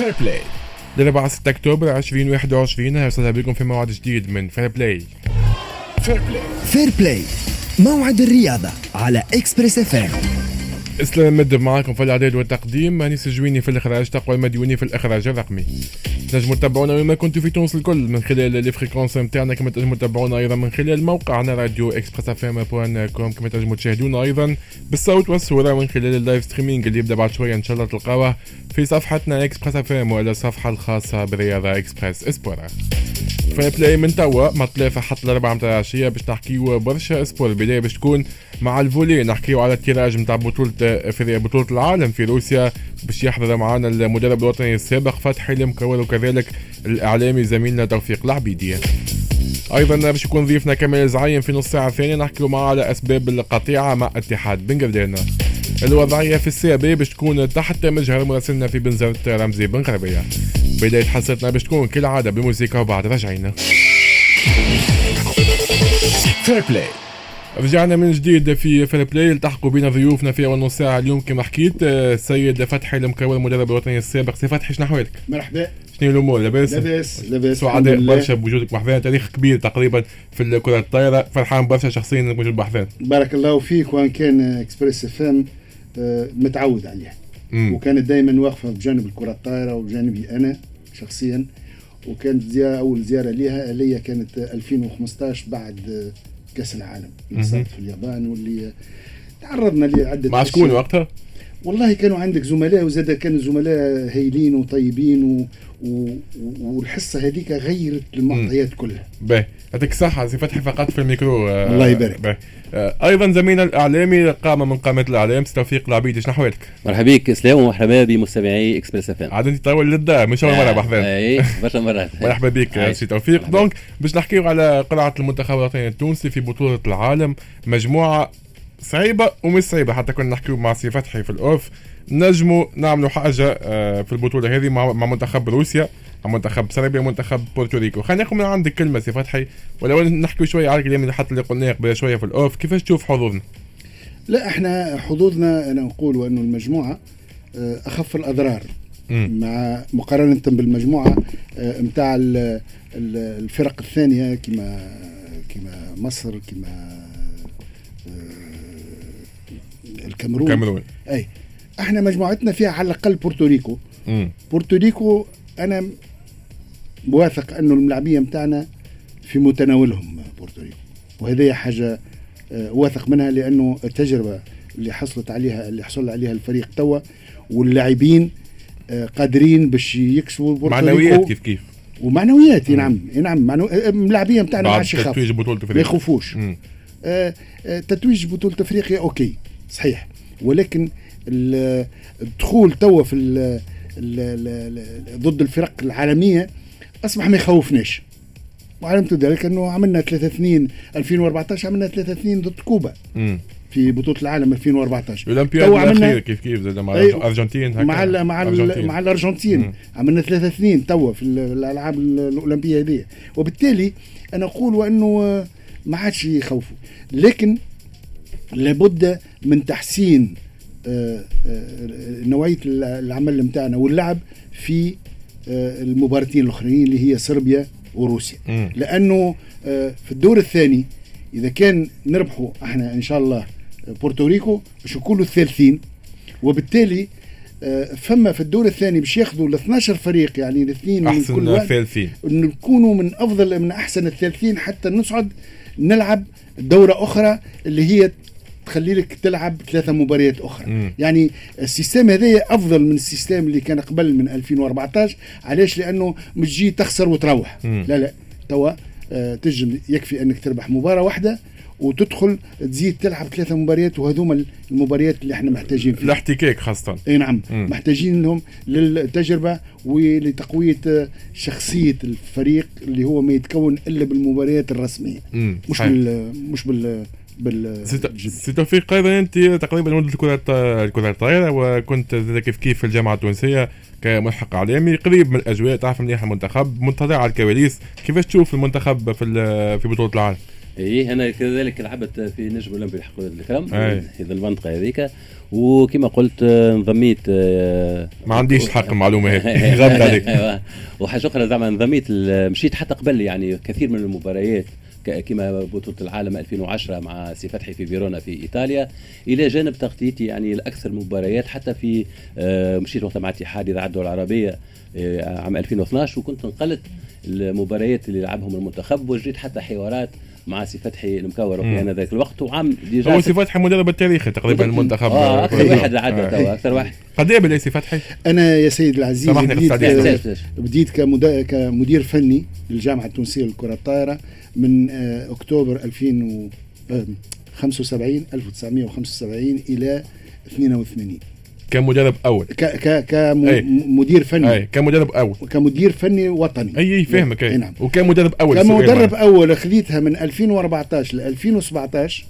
Fair Play. الأربعاء 6 أكتوبر 2021، أهلا بكم في موعد جديد من Fair Play. Fair Play. Fair Play، موعد الرياضة على Express FM. اسلام مدب معاكم في الاعداد والتقديم، انيس الجويني في الاخراج، تقوى المديوني في الاخراج الرقمي. تنجموا تتابعونا وين ما كنتوا في تونس الكل من خلال les fréquences نتاعنا، كما تنجموا تتابعونا ايضا من خلال موقعنا راديو Express FM point com، كما تنجموا تشاهدونا ايضا بالصوت والصورة من خلال ال live streaming اللي يبدا بعد شوية ان شاء الله، تلقاوه في صفحتنا Express FM ولا الصفحة الخاصة بالرياضة Express Sport. Fair Play من توا ما 3 حتى 4 متاع العشية باش نحكيو برشا sport. البداية باش تكون مع ال volley، نحكيو على ال tirage نتاع بطولة العالم في روسيا، باش يحضر معنا المدرب الوطني السابق فتحي المكور وكذلك الإعلامي زميلنا توفيق العبيدي. أيضا باش يكون ضيفنا كمال زعيم في نص ساعة ثانية، نحكيو معاه على أسباب القطيعة مع اتحاد بن قردان. الوضعية في ال CAB باش تكون تحت مجهر مراسلنا في بنزرت رمزي بن غربية. بداية حصتنا باش تكون كالعادة بالموسيقى وبعد رجعينا. Fair Play. رجعنا من جديد في Fair Play، التحقوا بنا ضيوفنا في اول نص ساعة اليوم كما حكيت السيد فتحي المكور المدرب الوطني السابق. سي فتحي، شنو احوالك؟ مرحبا. شنو الامور؟ لاباس؟ لاباس لاباس. سعداء برشا بوجودك بحذانا، تاريخ كبير تقريبا في الكره الطايره، فرحان برشا شخصيا انك موجود بحذانا. بارك الله فيك، وان كان Express FM متعود عليها وكانت دائما واقفة بجانب الكره الطايره وبجانبي انا شخصيا، وكانت زيارة اول زيارة ليها ليا كانت 2015 بعد كاس العالم اللي صارت في اليابان واللي تعرضنا لعدة مع شكون وقتها؟ والله كانوا عندك زملاء، وزاد كانوا زملاء هايلين وطيبين والحصه هذيك غيرت المعطيات كلها. باهي، يعطيك الصحة سي فتحي فقط في الميكرو. الله يبارك. ايضا زميلنا الاعلامي قامه من قامات الاعلام سي توفيق العبيدي، شنو احوالك؟ مرحبا بك اسلام ومرحبا بمستمعي Express FM. عاد انت تطول للدار مش اول مرة بحذانا. اي برشا مرات. مرحبا بك سي توفيق. donc باش نحكيو على قرعه المنتخب الوطني التونسي في بطوله العالم، مجموعة صعيبة ومش صعيبة، حتى كنا نحكيو مع سي فتحي في ال off، نجموا نعملوا حاجة في البطولة هذه مع منتخب روسيا، مع منتخب صربيا، منتخب بورتوريكو. خلينا ناخذ من عندك كلمة سي فتحي، ولو نحكيو شوية على الكلام اللي حتى اللي قلناه قبل شوية في ال off، كيفاش تشوف حظوظنا؟ لا احنا حظوظنا انا نقول انه المجموعة اخف الاضرار مع مقارنة بالمجموعة نتاع الفرق الثانية كما مصر، كما الكاميرون. اي احنا مجموعتنا فيها على الاقل بورتوريكو. بورتوريكو انا واثق انه الملاعبيه نتاعنا في متناولهم بورتوريكو، وهذه حاجة واثق منها لانه التجربة اللي حصلت عليها اللي حصل عليها الفريق توا واللاعبين قادرين باش يكسبوا بورتوريكو. معنويات كيف كيف ومعنويات. نعم نعم، الملاعبيه نتاعنا ما عادش يخافوا، تتويج بطوله افريقيا ما يخوفوش. تتويج بطوله افريقيا OK صحيح، ولكن الدخول توا في ضد الفرق العالمية اصبح ما يخوفناش، وعلمت ذلك انه عملنا 3-2 2014، عملنا 3-2 ضد كوبا في بطوله العالم 2014. الاولمبياد الاخير كيف كيف زاد مع الارجنتين، مع الارجنتين عملنا 3-2 توا في الالعاب الاولمبية هذه، وبالتالي انا اقول انه ما عادش يخوفوا، لكن لابد من تحسين نوعية العمل نتاعنا واللعب في المباراتين الاخرين اللي هي صربيا وروسيا. لانه في الدور الثاني اذا كان نربحوا احنا ان شاء الله بورتوريكو باش نكونوا الثالثين، وبالتالي فما في الدور الثاني باش ياخذوا ال 12 فريق، يعني الاثنين من كل واحد الثالثين، نكونوا من افضل من احسن الثالثين حتى نصعد نلعب دوره اخرى اللي هي تخلي لك تلعب 3 مباريات اخرى. يعني ال système هذا افضل من ال système اللي كان قبل من 2014. علاش؟ لانه مش تجي تخسر وتروح. لا لا، توا تجم يكفي انك تربح مباراة واحدة وتدخل تزيد تلعب 3 مباريات، وهذوما المباريات اللي احنا محتاجين فيها الاحتكاك خاصة. اي نعم، محتاجين لهم للتجربه ولتقويه شخصية الفريق اللي هو ما يتكون الا بالمباريات الرسمية. مش بال مش بال سي توفيق، ايضا انت تقريبا ولد الكره الطايره، وكنت كيف كيف في الجامعة التونسية كملحق اعلامي، قريب من الاجواء، تعرف مليح المنتخب، مطلع على الكواليس، كيفاش تشوف المنتخب في بطوله العالم؟ ايه انا كذلك لعبت في نجم اولمبي الكرم في المنطقة هذيك، وكما قلت انضميت. ما عنديش حق المعلومة هذه، غابت عليك. وحاجه اخرى زعما انضميت، مشيت حتى قبل يعني كثير من المباريات كما بطولة العالم 2010 مع سي فتحي في فيرونا في إيطاليا، إلى جانب تغطيتي يعني الأكثر مباريات حتى في مشيت وقتها مع اتحاد إذاعة الدول العربية عام 2012، وكنت نقلت المباريات اللي لعبهم المنتخب، وجريت حتى حوارات مع سي فتحي المكور في ذاك الوقت. وعام déjà هو سي فتحي المدرب التاريخي تقريبا المنتخب، اكثر واحد عدى توا، اكثر واحد. قد ايه سي فتحي؟ انا يا سيد العزيز بديت كمدير فني للجامعة التونسية للكرة الطائرة من اكتوبر 2075 1975 الى 82 كمدرب اول، كمدير فني. اي كمدرب اول، كمدير فني وطني. اي فاهمك. اي نعم. وكمدرب اول، كمدرب اول خذيتها من 2014 ل 2017،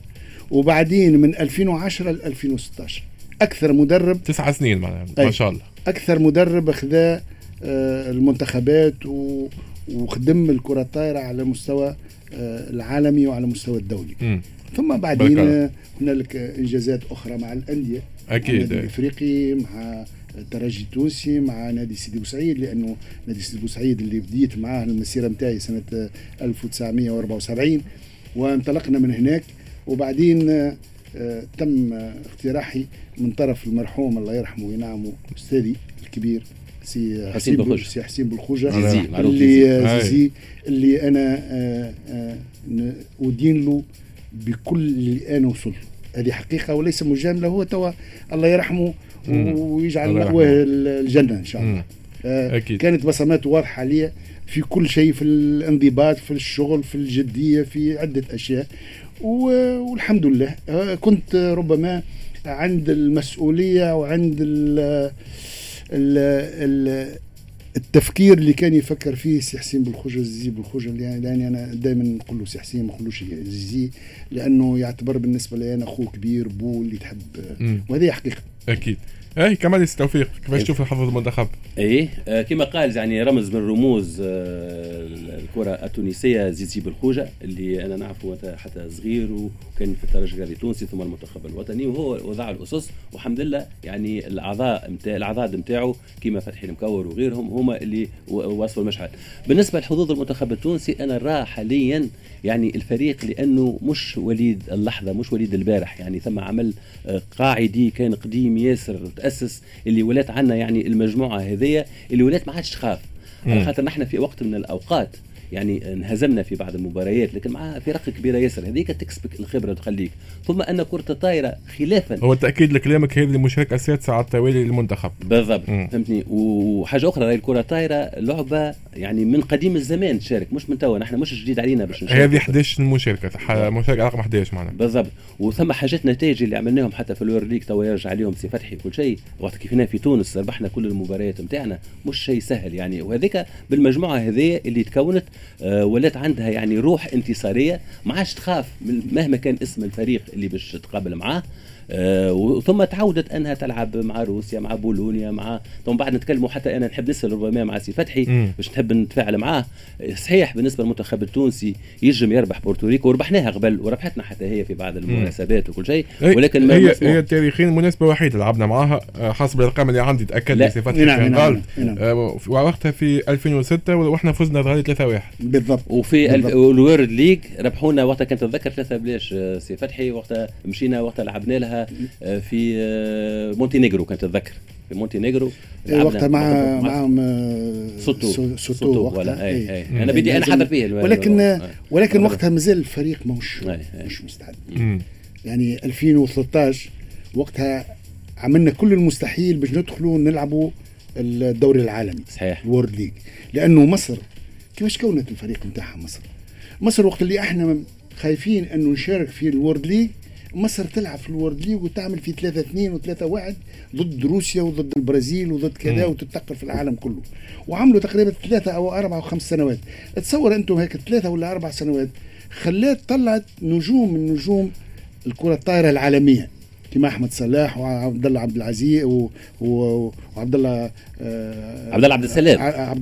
وبعدين من 2010 ل 2016. اكثر مدرب 9 سنين معناها، ما شاء الله. اكثر مدرب خذا المنتخبات وخدم الكره الطائرة على مستوى العالمي وعلى مستوى الدولي. ثم بعدين هنالك انجازات اخرى مع الاندية، اكيد النادي الافريقي، مع الترجي التونسي، مع نادي سيدي بوسعيد، لانه نادي سيدي بوسعيد اللي بديت معاه المسيرة نتاعي سنة 1974، وانطلقنا من هناك. وبعدين تم اقتراحي من طرف المرحوم الله يرحمه وينعمه استاذي الكبير سي حسين بالخوجه، اللي زيزي، اللي انا ادين له بكل اللي انا وصلت. هذه حقيقة وليس مجاملة، هو توا الله يرحمه ويجعل مأواه الجنة إن شاء الله. أكيد. كانت بصماته واضحة عليا في كل شيء، في الانضباط، في الشغل، في الجدية، في عدة أشياء، والحمد لله كنت ربما عند المسؤولية وعند التفكير اللي كان يفكر فيه سي حسين بالخوجة، زيزي بالخوجة، لأني أنا دائما نقول له سي حسين، ما نقولوش زيزي، لأنه يعتبر بالنسبة لي أنا أخوه كبير، بو اللي تحب، وهذه حقيقة. أكيد. اي كمال توفيق، كيفاش تشوف حظ المنتخب؟ ايه كما قال يعني رمز من رموز الكره التونسية زيزي بالخوجه، اللي انا نعرفه حتى صغير، وكان في الترجي الرياضي التونسي ثم المنتخب الوطني، وهو وضع الاسس، والحمد لله يعني الاعضاء نتاعو كما فتحي المكور وغيرهم هما اللي وصلوا المشعل. بالنسبة لحظوظ المنتخب التونسي، انا نرى حاليا يعني الفريق لانه مش وليد اللحظة، مش وليد البارح، يعني ثم عمل قاعدي كان قديم ياسر تأسس، اللي ولات عنا يعني المجموعة هذية اللي ولات ما عادش تخاف، على خاطر نحن في وقت من الأوقات يعني انهزمنا في بعض المباريات، لكن مع فرق كبيرة ياسر هذيك تكسبك الخبرة وتخليك. ثم ان كره الطائرة خلافا، هو تاكيد لكلامك هذه المشاركة السادسة على التوالي للمنتخب بالضبط. فهمتني. وحاجه اخرى، الكره الطائرة لعبه يعني من قديم الزمان تشارك، مش من توا، نحن مش جديد علينا باش نشارك. هذه 11 مشاركة، مشاركة رقم 11 معنا بالضبط. وثم حاجات نتائج اللي عملناهم حتى في ال World League توا يرجع عليهم سي فتحي كل شيء، وقت كيفنا في تونس ربحنا كل المباريات نتاعنا، مش شيء سهل يعني. وهذيك بالمجموعة هذه اللي تكونت ولات عندها يعني روح انتصاريه، ما عادش تخاف مهما كان اسم الفريق اللي باش تقابل معاه. وثم تعودت انها تلعب مع روسيا، مع بولونيا، مع ثم بعد نتكلموا حتى انا نحب نسال ربما مع سي فتحي باش نحب نتفاعل معاه. صحيح بالنسبة للمنتخب التونسي يجم يربح بورتوريكو، وربحناها قبل وربحتنا حتى هي في بعض المناسبات وكل شيء، ولكن ما هي تاريخيا مناسبة وحيده لعبنا معاها حسب الارقام اللي عندي، تاكد لي سي فتحي كان غلط. وقتها في 2006 واحنا فزنا بغالي 3-1 بالضبط. وفي ال World League ربحونا وقتها، كنت اتذكر 3 بلاش سي فتحي، وقتها مشينا وقتها لعبنا لها في مونتينيغرو، كنت اتذكر في مونتينيغرو وقتها معهم سوتو وقتها. أي. انا بدي انا حاضر فيه، ولكن وقتها مازال الفريق مش مستعد. يعني 2013 وقتها عملنا كل المستحيل باش ندخلوا نلعبوا الدوري العالمي، صحيح، ال World League، لانه مصر كيفاش كونت الفريق نتاعها. مصر وقت اللي احنا خايفين انه نشارك في ال World League، مصر تلعب في ال World League وتعمل في 3-2 و3-1 ضد روسيا وضد البرازيل وضد كذا، وتتنقل في العالم كله، وعملوا تقريبا 3 أو 4 أو 5 سنوات. تصور أنتم هيك 3 ولا 4 سنوات خلات طلعت نجوم من نجوم الكرة الطائرة العالمية، كما أحمد صلاح وعبد الله عبد العزيز وعبد الله عبد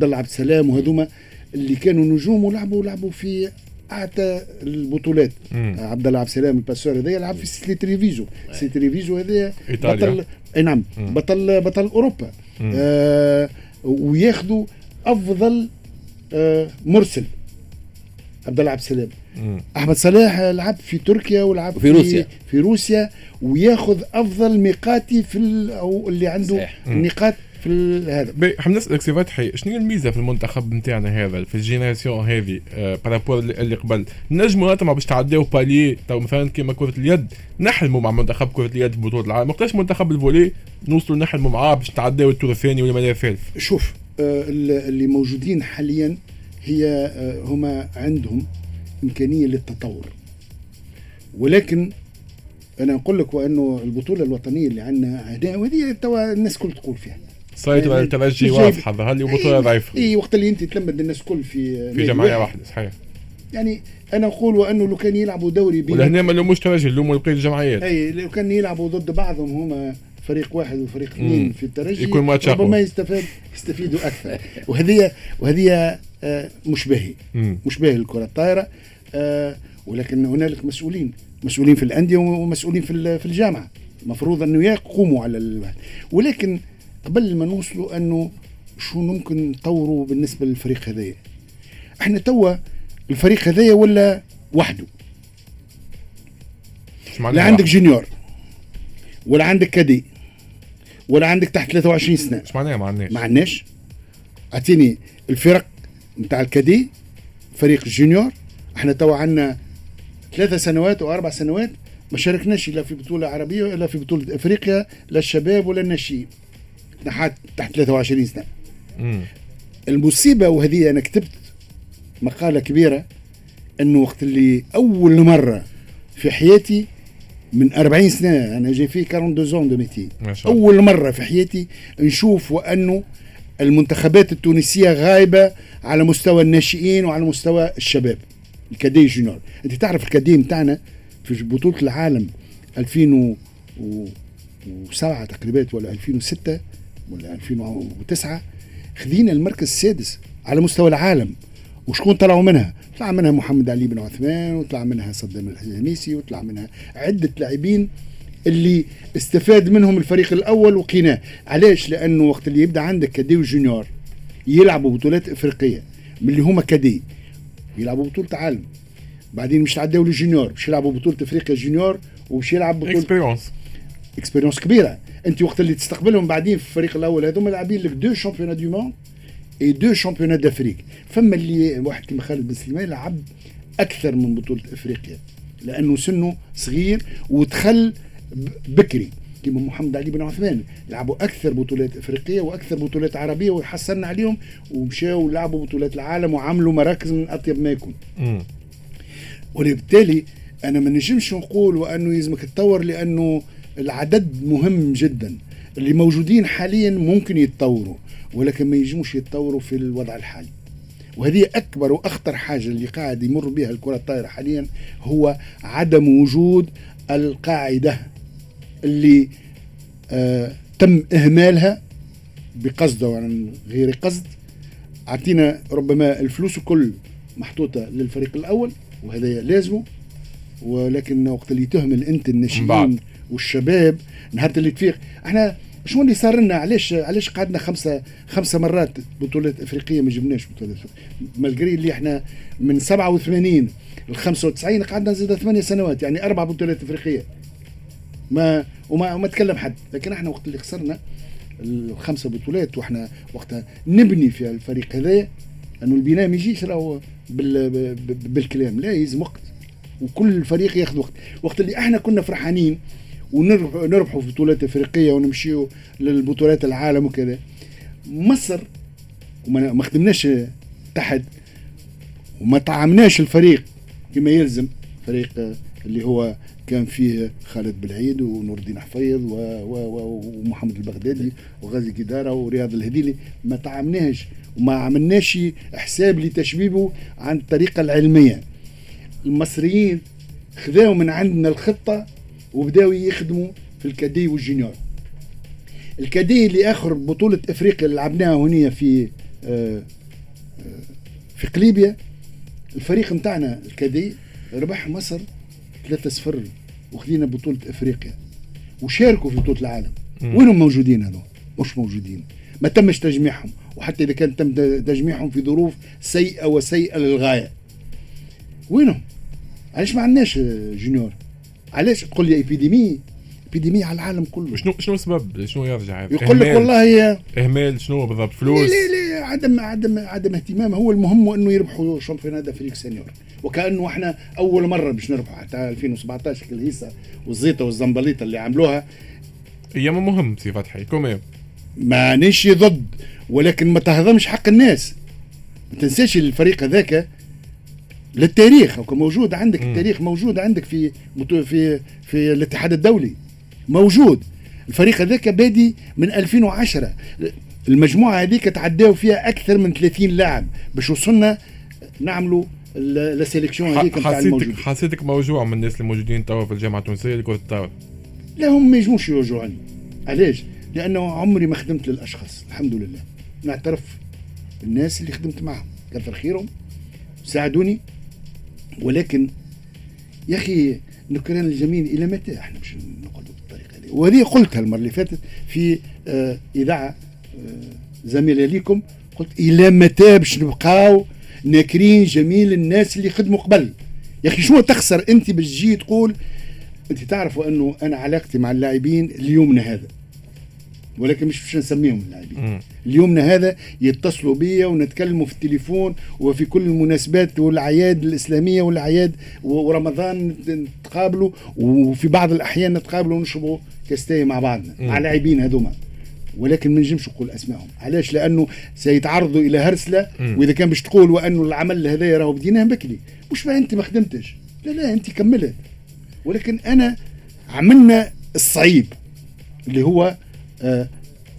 الله عبد السلام، وهذوما اللي كانوا نجوم ولعبوا في اعتى البطولات. عبد الله عبد السلام ال passeur هذا يلعب في سيتي تريفيزو، سيتي تريفيزو هذا بطل، اي نعم، بطل اوروبا. وياخذوا افضل مرسل عبد الله عبد السلام. احمد صلاح لعب في تركيا ولعب في روسيا، وياخذ افضل ميقاتي في او اللي عنده النقاط في هذا. حاب نسالك سي فتحي، شنو هي الميزة في المنتخب نتاعنا هذا في ال génération هذه par rapport اللي قبل؟ نجموا نطمعوا باش تعداو palier تو مثلا كيما كره اليد، نحلموا مع منتخب كره اليد في بطوله العالم، وقتاش منتخب ال volley نوصلوا نحلموا معاه باش تعداو ال tour الثاني ولا الثالث؟ شوف، اللي موجودين حاليا هي هما عندهم امكانية للتطور، ولكن انا نقول لك وانه البطولة الوطنية اللي عندنا وهذه توا الناس كل تقول فيها سيطرة على الترجي واضحة، ظهر لي بطوله ضعيفة. اي وقت اللي انت تلمد الناس كل في جمعية واحدة، صحيح. يعني انا نقول وانه لو كان يلعبوا دوري بين، ولهنا ما لوموش ترجي، لوموا بقية الجمعيات. اي لو كان يلعبوا ضد بعضهم هما فريق واحد وفريق اثنين في الترجي يكون ماتش ربما يستفيدوا اكثر. وهذه مش باهي، مش باهي الكره الطايره. ولكن هنالك مسؤولين في الاندية ومسؤولين في الجامعة، المفروض انه يقوموا على ولكن قبل ما نوصلوا انه شو ممكن نطوروا بالنسبة للفريق هذايا، احنا توا الفريق هذايا ولا وحده، لا عندك junior ولا عندك cadet ولا عندك تحت 23 سنة. ايش معناها ما عندناش؟ ما عندناش. اعطيني الفرق نتاع ال cadet، فريق ال junior، احنا توا عندنا 3 سنوات و4 سنوات ما شاركناش لا في بطوله عربية ولا في بطوله افريقيا، لا الشباب ولا الناشئين تحت 23 سنة. المصيبة، وهذه انا كتبت مقاله كبيرة، انه وقت اللي اول مرة في حياتي من 40 سنة، انا j'ai fait 42 ans de métier، اول مرة في حياتي نشوف وانه المنتخبات التونسية غايبة على مستوى الناشئين وعلى مستوى الشباب ال cadet junior. انت تعرف ال cadet نتاعنا في بطوله العالم 2007 تقريبا ولا 2006 ولا 2009 خذينا المركز السادس على مستوى العالم. وشكون طلعوا منها؟ طلع منها محمد علي بن عثمان، وطلع منها صدام الحميسي، وطلع منها عدة لاعبين اللي استفاد منهم الفريق الأول وقيناه. علاش؟ لأنه وقت اللي يبدأ عندك cadet و junior يلعبوا بطولات إفريقية، من اللي هما cadet يلعبوا بطولة عالم، بعدين مش تعداو لل junior باش يلعبوا بطولة إفريقيا junior، وباش يلعب بطولة expérience كبيرة. أنت وقت اللي تستقبلهم بعدين في الفريق الأول هذوما لاعبين لك 2 championnats du monde et 2 championnats d'Afrique. فما اللي واحد كيما خالد بن سليمان لعب اكثر من بطوله افريقيا لانه سنة صغير ودخل بكري، كيما محمد علي بن عثمان لعبوا اكثر بطولات افريقية واكثر بطولات عربية وحصلنا عليهم ومشاو لعبوا بطولات العالم وعملوا مراكز من اطيب ما يكون. وبالتالي انا ما نجمش نقول وانه يلزمك تطور، لانه العدد مهم جدا. اللي موجودين حاليا ممكن يتطوروا، ولكن ما يجموش يتطوروا في الوضع الحالي. وهذه أكبر وأخطر حاجة اللي قاعد يمر بها الكرة الطائرة حاليا، هو عدم وجود القاعدة اللي تم إهمالها بقصد وعن غير قصد. أعطينا ربما الفلوس الكل محطوطة للفريق الأول وهذا لازمه، ولكن وقت اللي تهمل أنت الناشئين والشباب نهار اللي تفيق. احنا شو اللي صار لنا؟ علاش قعدنا خمسة مرات بطولات افريقية ما جبناش بطولات، malgré اللي احنا من 87 ل 95 قعدنا زاد 8 سنوات، يعني 4 بطولات افريقية ما وما ما تكلم حد. لكن احنا وقت اللي خسرنا ال5 بطولات واحنا وقتها نبني في الفريق هذا، انه البناء ما يجيش راهو بالكلام، لا يلزم وقت، وكل فريق ياخذ وقت. وقت اللي احنا كنا فرحانين ونربحوا في بطولات افريقية ونمشيوا للبطولات العالم وكذا، مصر وما خدمناش تحت وما طعمناش الفريق كما يلزم، فريق اللي هو كان فيه خالد بالعيد ونور الدين حفيظ ومحمد البغدادي وغازي كدارة ورياض الهديلي، ما طعمناش وما عملناش حساب لتشبيبه عن الطريقة العلمية. المصريين خذاو من عندنا الخطة وبداوا يخدموا في ال cadet وال junior. ال cadet اللي اخر بطوله افريقيا اللي لعبناها هنا في قليبيا، الفريق نتاعنا ال cadets ربح مصر 3-0 وخذينا بطوله افريقيا وشاركوا في بطوله العالم. وينهم موجودين هذول؟ مش موجودين، ما تمش تجميعهم، وحتى اذا كان تم تجميعهم في ظروف سيئه وسيئة للغاية. وينهم؟ علاش ما عندناش juniors؟ علاش تقول لي épidémie على العالم كله؟ شنو السبب؟ شنو يرجع؟ يقول لك والله اهمال. شنو بالضبط؟ فلوس؟ لا عدم اهتمام. هو المهم انه يربحوا championnat d'Afrique senior، وكانه احنا اول مرة باش نربحوا. حتى 2017 الهيصه والزيطه والزنبليطه اللي عملوها. هي مهم سي فتحي quand même، مانيش ضد، ولكن ما تهضمش حق الناس. ما تنساش الفريق هذاك للتاريخ موجود عندك. التاريخ موجود عندك في في في الاتحاد الدولي موجود. الفريق هذاك بادي من 2010، المجموعة هذيك تعداو فيها اكثر من 30 لاعب باش وصلنا نعملوا la sélection هذيك نتاع الموجود. حسيتك موجوع من الناس الموجودين توا في الجامعة التونسية لكرة الطاولة؟ لا، هم ما يجموش يوجعوني. علاش؟ لانه عمري ما خدمت للاشخاص، الحمد لله. نعترف بالناس اللي خدمت معهم كثر خيرهم ساعدوني، ولكن يا اخي نكران الجميل الى متى احنا باش نقعدوا بالطريقة هذه؟ وهذه قلتها المرة اللي فاتت في اذاعة زميله ليكم، قلت الى متى باش نبقاو ناكرين جميل الناس اللي خدموا قبل؟ يا اخي شنو تخسر انت باش تجي تقول؟ انت تعرفوا انه انا علاقتي مع اللاعبين اليومنا هذا، ولكن مش باش نسميهم اللاعبين، اليومنا هذا يتصلوا بيا ونتكلموا في التليفون وفي كل المناسبات والاعياد الاسلامية والاعياد ورمضان نتقابلوا، وفي بعض الاحيان نتقابلوا ونشربوا كاستاي مع بعضنا مع اللاعبين هذوما، ولكن ما نجمش نقول اسمائهم. علاش؟ لانه سيتعرضوا الى هرسله. واذا كان باش تقول وانه العمل هذا راهو بديناه بكري، مش ما انت ما خدمتش، لا لا انت كملت، ولكن انا عملنا الصعيب اللي هو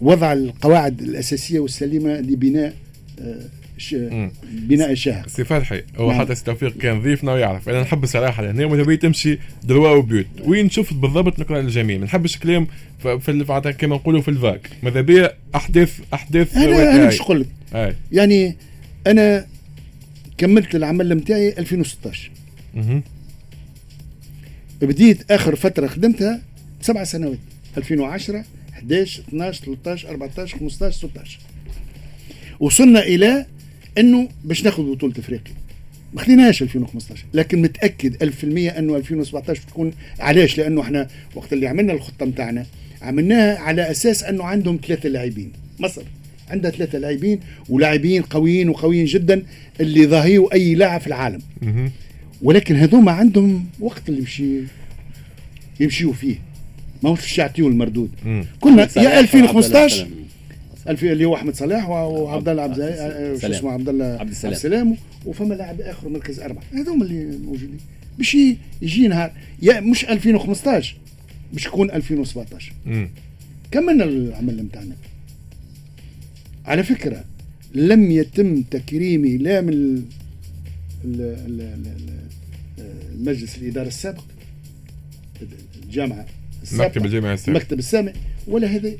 وضع القواعد الأساسية والسليمة لبناء بناء الشهر. سي فتحي هو نعم. حتى سي توفيق كان ضيفنا ويعرف انا نحب الصراحة لهنا، ماذا بيا تمشي droit au but. وين شفت بالضبط نكران الجميل؟ ما نحبش كلام في كما نقولوا في ال vague، ماذا بيا احداث. انا باش نقول لك يعني انا كملت العمل نتاعي 2016. بديت اخر فترة خدمتها 7 سنوات، 2010 11 12 13 14 15 16. وصلنا الى انه باش ناخذ بطوله افريقيا، ما خديناهاش 2015، لكن متاكد 1000% انه 2017 تكون. علاش؟ لانه احنا وقت اللي عملنا الخطة نتاعنا عملناها على اساس انه عندهم 3 لاعبين، مصر عندها 3 لاعبين ولاعبين قويين وقويين جدا اللي ضاهيوا اي لاعب في العالم. ولكن هذوما عندهم وقت اللي يمشيوا فيه، ما هوش باش يعطيو المردود. كنا يا 2015 اللي هو احمد صلاح وعبد الله عبد اسمه عبد الله عبد السلام، وفما لاعب اخر مركز 4، هذوما اللي موجودين باش يجي نهار يا مش 2015 باش يكون 2017. كملنا العمل نتاعنا. على فكرة لم يتم تكريمي لا من المجلس الاداري السابق، الجامعة السابقة، مكتب الجامعة السابق، المكتب السامي، ولا هذا.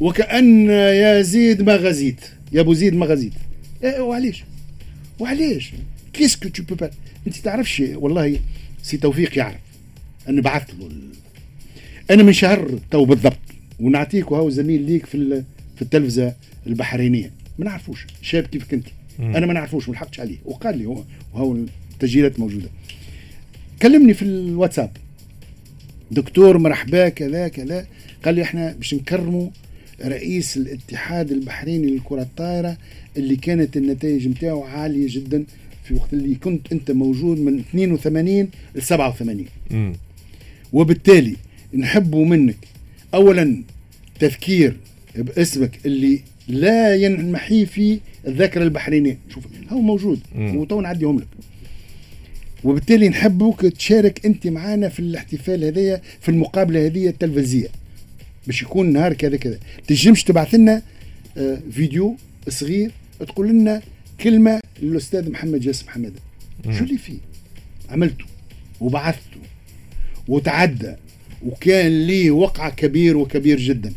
وكأن يا زيد ما غزيت، يا ابو زيد ما غزيت. إيه وعليش؟ وعليش؟ qu'est-ce que tu peux pas؟ انت تعرفش والله سي توفيق يعرف انا بعثت له انا من شهر تو بالضبط، ونعطيك وهو زميل ليك في التلفزة البحرينيه، ما نعرفوش شاب كيف كنت انا ما نعرفوش، ما لحقتش عليه، وقال لي هو وهو التسجيلات موجودة. كلمني في الواتساب، دكتور مرحبا كذا كذا، قال لي احنا باش نكرموا رئيس الاتحاد البحريني للكرة الطائرة اللي كانت النتائج نتاعو عالية جدا في وقت اللي كنت انت موجود من 82 ل 87. وبالتالي نحبوا منك اولا تذكير باسمك اللي لا ينمحي في الذاكرة البحرينية، شوف هو موجود وتو نعديهم لك، وبالتالي نحبوك تشارك انت معانا في الاحتفال هذايا في المقابلة هذه التلفزيونية باش يكون نهار كذا كذا. تنجمش تبعث لنا فيديو صغير تقول لنا كلمة للاستاذ محمد جاسم حمادة، شو اللي فيه؟ عملته وبعثته وتعدى وكان لي وقع كبير وكبير جدا.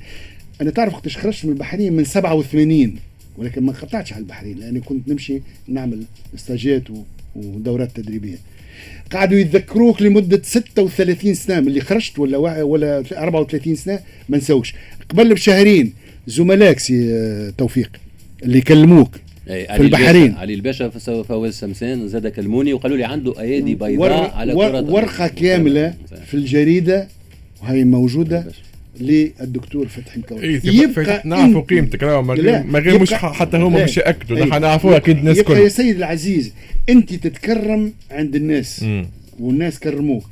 انا تعرف وقتاش خرجت من البحرين؟ من 87، ولكن ما قطعتش على البحرين لاني كنت نمشي نعمل stageات ودورات تدريبية. قعدوا يتذكروك لمدة 36 سنة من اللي خرجت ولا 34 سنة ما نساوش. قبل بشهرين زملائك سي توفيق اللي كلموك في البحرين، علي الباشا فواز سمسان زاد كلموني وقالوا لي عنده ايادي بيضاء على كرة، ورقة كاملة في الجريدة وهي موجودة للدكتور فتحي مكاوي. يبقى نعرفوا قيمتك راهو ما غير مش حتى هما مش ياكدوا، نحن نعرفوها اكيد الناس الكل. يا سيد العزيز انت تتكرم عند الناس والناس كرموك،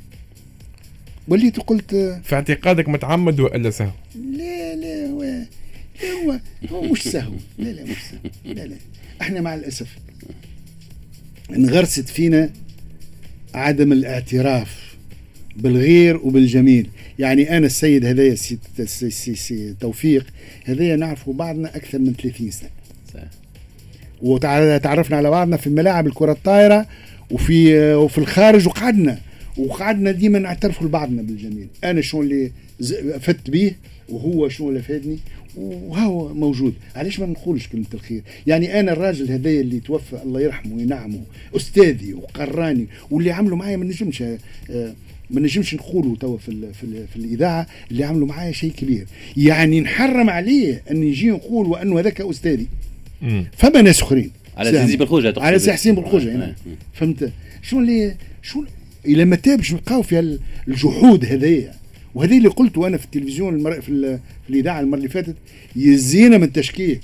وليت قلت في اعتقادك متعمد والا سهو؟ لا لا هو هو مش سهو، لا لا مش سهو، لا لا احنا مع الاسف انغرست فينا عدم الاعتراف بالغير وبالجميل. يعني انا السيد هذايا سي, سي, سي, سي توفيق هذايا نعرفوا بعضنا اكثر من 30 سنة، صحيح، وتعرفنا على بعضنا في ملاعب الكره الطائرة وفي الخارج، وقعدنا ديما نعترفوا لبعضنا بالجميل. انا شو اللي فدت به وهو شو اللي فادني وهو موجود. علاش ما نقولش كلمة الخير؟ يعني انا الراجل هذايا اللي توفى الله يرحمه وينعمه، استاذي وقراني واللي عملوا معايا ما نجمش نقولوا توا في, في, في الاذاعة، اللي عملوا معايا شيء كبير، يعني نحرم عليه ان يجي نقول وانه هذاك استاذي. فما ناس اخرين على سي بالخوجه، على سي حسين بالخوجه يعني. فهمت شو اللي شو الى متى باش نبقاو في الجحود هذايا؟ وهذا اللي قلته انا في التلفزيون في الاذاعة المرة اللي فاتت، يزينا من التشكيك.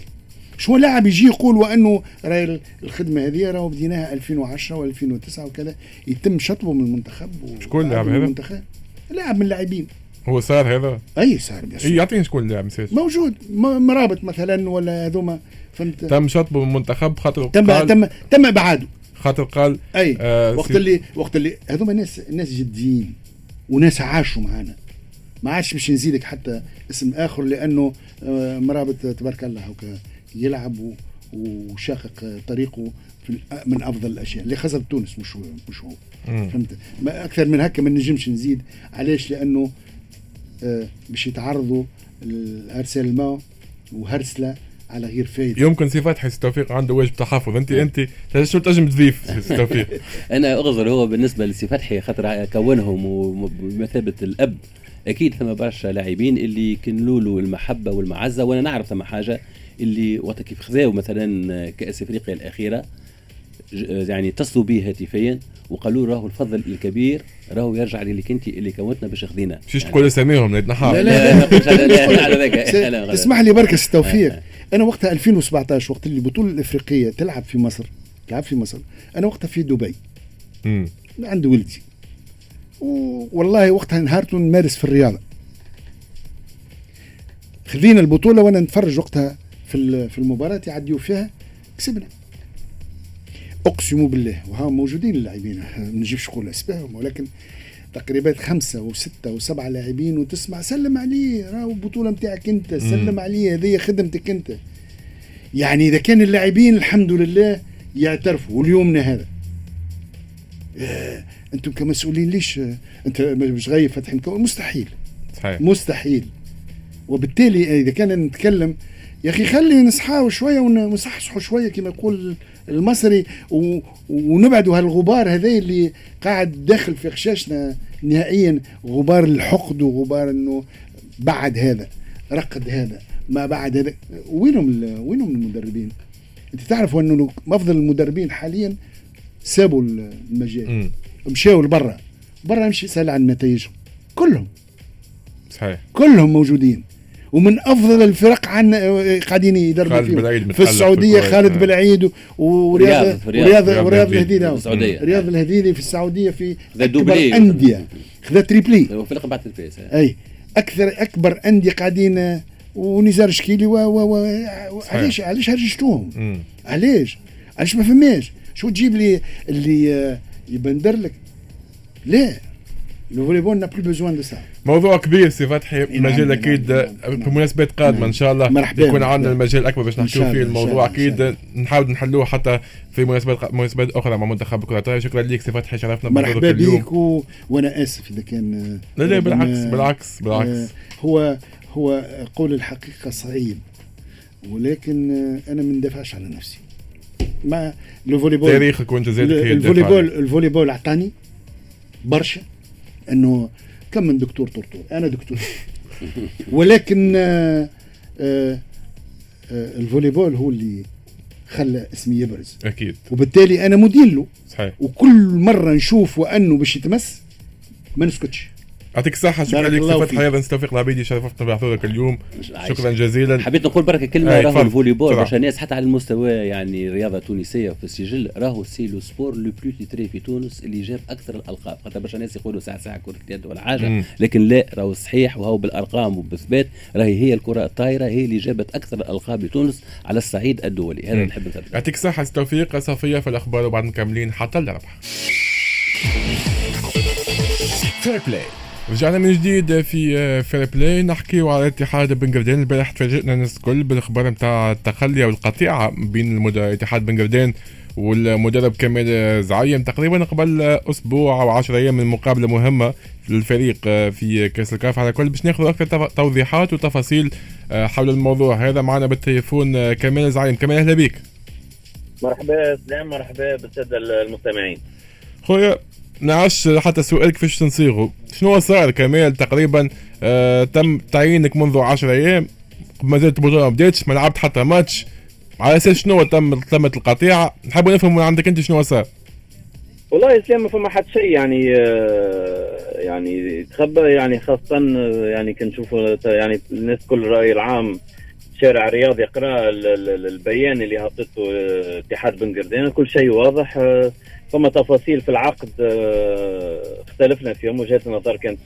شو لاعب يجي يقول وانه راهي الخدمة هذه راهو بديناها 2010 و2009 وكذا، يتم شطبه من المنتخب. شكون اللاعب هذا؟ لاعب من اللاعبين. هو صار هذا؟ اي صار. اي يعطيني شكون اللاعب موجود مرابط مثلا ولا هذوما، فهمت؟ تم شطبه من المنتخب خاطر تم ابعاده خاطر قال اي وقت اللي هذوما ناس جديين وناس عاشوا معانا، ما عادش باش نزيدك حتى اسم اخر لانه مرابط تبارك الله هكا يلعب وشاقق طريقه في من افضل الاشياء اللي خسر تونس مش هو. فهمت؟ ما اكثر من هكا ما نجمش نزيد. علاش؟ لانه باش يتعرضوا الارسال الماء وهرسله على غير فايده. يمكن سي فتحي توفيق عنده واجب تحفظ. انت شو تنجم تضيف سي توفيق؟ انا اغزر هو بالنسبة لسي فتحي خاطر كونهم وبمثابه الاب، اكيد ثم برشا لاعبين اللي كنلوا له المحبة والمعزه، وانا نعرف ثم حاجة اللي وقت كيف خذاو مثلا كاس افريقيا الاخيرة، يعني اتصلوا به هاتفيا وقالوا راهو الفضل الكبير راهو يرجع للي كنتي اللي كونتنا باش خذينا. مش تقول اساميهم لا لا لا لا. اسمح لي بركة سي توفيق، انا وقتها 2017 وقت اللي البطولة الافريقية تلعب في مصر، انا وقتها في دبي عند ولدي، والله وقتها نهارته نمارس في الرياضة. خذينا البطولة وانا نتفرج وقتها في المباراة يعديوا فيها، كسبنا اقسم بالله، وها موجودين اللاعبين ما نجيبش نقول اسمائهم، ولكن تقريبا 5 و6 و7 لاعبين، وتسمع سلم عليه راهو البطولة نتاعك انت، سلم عليه هذه خدمتك انت. يعني اذا كان اللاعبين الحمد لله يعترفوا، واليومنا هذا انتم كمسؤولين ليش انت مش غايب فتحي مكاوي؟ مستحيل، صحيح، مستحيل. وبالتالي اذا كان نتكلم يا اخي خلي نصحاو شوية ونصحصحوا شوية كما يقول المصري، ونبعدوا هالغبار هذا اللي قاعد داخل في خشاشنا نهائيا، غبار الحقد وغبار انه بعد هذا رقد هذا ما بعد هذا. وينهم المدربين؟ انت تعرفوا انه افضل المدربين حاليا سابوا المجال، مشاو لبرا، برا مشي سأل عن نتائجهم كلهم، صحيح، كلهم موجودين، ومن افضل الفرق عندنا قاعدين يدربوا فيهم في السعودية، خالد بالعيد ورياض الهديدي، رياض الهديدي في السعودية في اكبر اندية، خذا triplé وفرق بعد triplé، اي اكبر اندية قاعدين، ونزار شكيلي علاش هرجتوهم؟ علاش ما فماش؟ شو تجيب لي اللي يبندر لك؟ لا، le volley-ball n'a plus besoin de ça. موضوع كبير سي فتحي، مجال اكيد في مناسبات قادمة ان شاء الله يكون عندنا المجال اكبر باش نحكيو فيه الموضوع، اكيد نحاول نحلوه حتى في مناسبات اخرى مع منتخب كره الطائرة. شكرا لك سي فتحي، شرفنا مرحبا بك وانا اسف اذا كان لا لا بالعكس بالعكس بالعكس، هو قول الحقيقة صعيب، ولكن انا ما ندافعش على نفسي. ما le volley-ball تاريخك وانت زاد ال volley-ball اعطاني برشا، انه كم من دكتور طرطور، انا دكتور ولكن ال volley-ball هو اللي خلى اسمي يبرز اكيد، وبالتالي انا مدين له. صحيح. وكل مرة نشوف وانه باش يتمس ما نسكتش. يعطيك الصحة، شكرا لك سي فتحي، أيضا توفيق العبيدي شرفتنا بحضورك اليوم، شكرا جزيلا. حبيت نقول بركة كلمة، راهو ال volley-ball برشا ناس حتى على المستوى يعني الرياضة التونسية في السجل، راهو c'est le sport le plus titré في تونس اللي جاب أكثر الألقاب، خاطر برشا ناس يقولوا ساعة ساعة كرة اليد ولا حاجة، لكن لا، راهو صحيح وهو بالأرقام وبالإثبات، راهي هي الكرة الطايرة هي اللي جابت أكثر الألقاب لتونس على الصعيد الدولي. هذا نحب نثبت. يعطيك الصحة سي توفيق. صفية في الأخبار وبعد مكملين حتى الربح. Fair Play. رجعنا من جديد في Fair Play، نحكيو على اتحاد بن قردان. البارح تفاجئنا الناس الكل بالخبر نتاع التخلي او القطيعة بين اتحاد بن قردان والمدرب كمال زعيم، تقريبا قبل اسبوع او 10 ايام من مقابله مهمة للفريق في كاس الكاف. على كل باش ناخذ اكثر توضيحات وتفاصيل حول الموضوع هذا معنا بالتليفون كمال زعيم. كمال اهلا بك. مرحبا سلام، مرحبا بالساده المستمعين. خويا نعش حتى سؤال كيفاش تنصيغه، شنو صار كمال؟ تقريبا تم تعيينك منذ 10 ايام، ما زالت البطولة ما بداتش، ما لعبت حتى ماتش، على اساس شنو تمت القطيعة؟ نحب نفهم من عندك انت شنو صار. والله اسلام ما فما حتى شيء يعني يعني تخبى، يعني خاصة يعني كنشوفوا يعني الناس كل الراي العام الشارع الرياضي يقرا البيان اللي هبطته اتحاد بن قردان، كل شيء واضح. فما تفاصيل في العقد اختلفنا فيهم، وجهات النظر كانت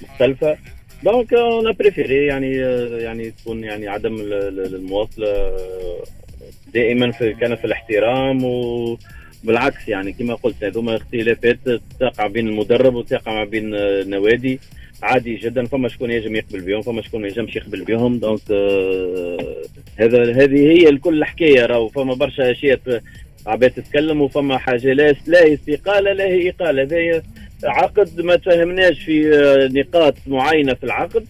مختلفة، donc on a préféré يعني تكون يعني عدم المواصلة دائما كان في الاحترام، وبالعكس يعني كما قلت هذوما اختلافات تقع بين المدرب وتقع بين النوادي عادي جدا، فما شكون يجم يقبل بهم فما شكون ما يجمش يقبل بهم، donc هذه هي الكل الحكاية. راهو فما برشا اشياء عباد تتكلم، وفما حاجة لا استقالة لا هي اقاله، هذا عقد ما تفهمناش في نقاط معينة في العقد،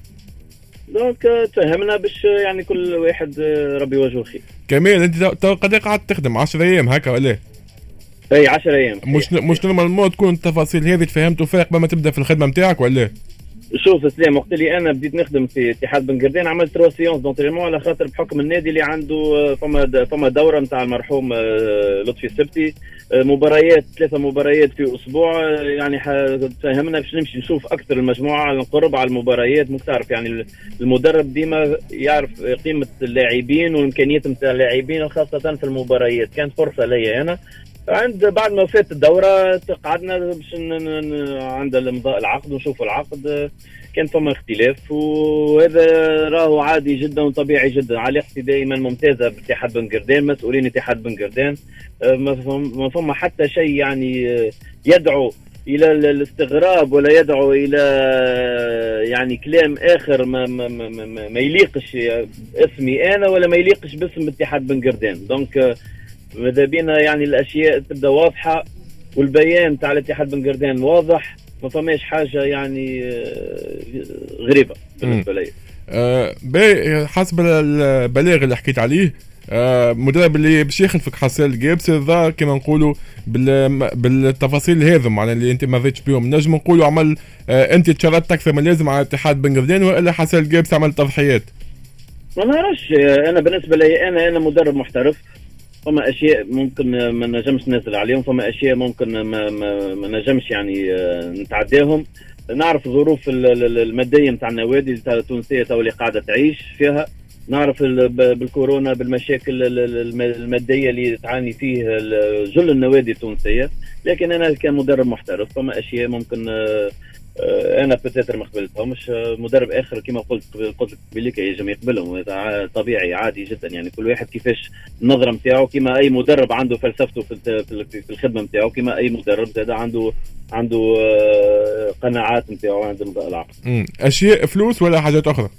donc تفهمنا باش يعني كل واحد ربي يوجهه الخير. كمال انت قد قعدت تخدم 10 ايام هكا ولا؟ اي 10 ايام. مش normalement تكون التفاصيل هذه تفهمتوا فيها قبل ما تبدا في الخدمة نتاعك ولا؟ شوف سلام، وقت اللي انا بديت نخدم في اتحاد بن قردان عملت 3 séances d'entraînement، على خاطر بحكم النادي اللي عنده فما دوره نتاع المرحوم لطفي السبتي، مباريات 3 مباريات في اسبوع، يعني تفهمنا باش نمشي نشوف اكثر المجموعة على القرب على المباريات. ممكن تعرف يعني المدرب ديما يعرف قيمة اللاعبين والامكانيات نتاع اللاعبين خاصة في المباريات. كانت فرصة ليا انا عند بعد ما فات الدورة قعدنا باش عند امضاء العقد ونشوفوا العقد، كان فما اختلاف وهذا راهو عادي جدا وطبيعي جدا. علاقتي دائما ممتازة باتحاد بن قردان، مسؤولين اتحاد بن قردان، ما فما حتى شيء يعني يدعو الى الاستغراب ولا يدعو الى يعني كلام اخر ما ما ما, ما, ما يليقش اسمي انا ولا ما يليقش باسم اتحاد بن قردان. donc ماذا بينا يعني الاشياء تبدا واضحة، والبيان تاع الاتحاد بن قردان واضح، ما فماش حاجة يعني غريبة بالنسبة لي. حسب البلاغ اللي حكيت عليه، المدرب اللي باش يخلفك حسان الجابسي ظهر كما نقولوا بالتفاصيل هذم معناها اللي انت ما رضيتش بهم، نجم نقولوا عمل انت تشردت اكثر من اللازم على اتحاد بن قردان، والا حسان الجابسي عمل تضحيات؟ ما نعرفش، انا بالنسبة لي انا مدرب محترف، فما اشياء ممكن ما نجمش ننزل عليهم، فما اشياء ممكن ما نجمش يعني نتعداهم. نعرف الظروف المادية نتاع النوادي التونسية تو اللي قاعدة تعيش فيها، نعرف بالكورونا بالمشاكل المادية اللي تعاني فيه جل النوادي التونسية، لكن انا كمدرب محترف فما اشياء ممكن انا peut-être ما قبلتهمش، مدرب اخر كما قلت قبلك يجم يقبلهم، طبيعي عادي جدا. يعني كل واحد كيفاش النظرة نتاعو، كما اي مدرب عنده فلسفته في الخدمة نتاعو، كما اي مدرب زاد عنده قناعات نتاعو عند العقد. اشياء فلوس ولا حاجات اخرى؟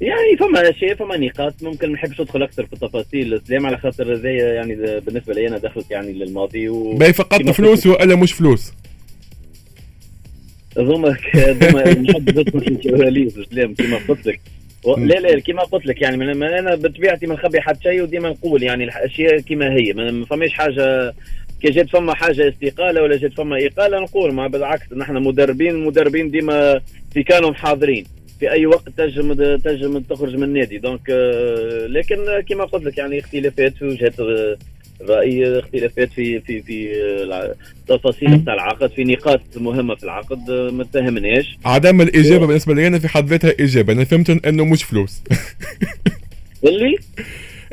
يعني فما اشياء، فما نقاط ممكن ما نحبش ندخل اكثر في التفاصيل سلام، على خاطر زي يعني بالنسبة لي انا دخلت يعني للماضي باهي فقط فلوس ولا مش فلوس؟ هذوما نحب ندخل في الكواليس سلام كما قلت لك، لا لا كما قلت لك يعني انا بطبيعتي ما نخبي حتى شيء، وديما نقول يعني الاشياء كما هي، ما فماش حاجة كي جات فما حاجة استقالة ولا جات فما اقاله نقول، ما بالعكس نحن مدربين ديما في كانوا حاضرين في اي وقت تنجم تخرج من النادي. donc لكن كما قلت لك يعني اختلافات في وجهات الراي، اختلافات في في في التفاصيل نتاع العقد، في نقاط مهمة في العقد ما تفهمناش. عدم الاجابة بالنسبة لي انا في حد ذاتها اجابه، انا فهمت انه مش فلوس. اللي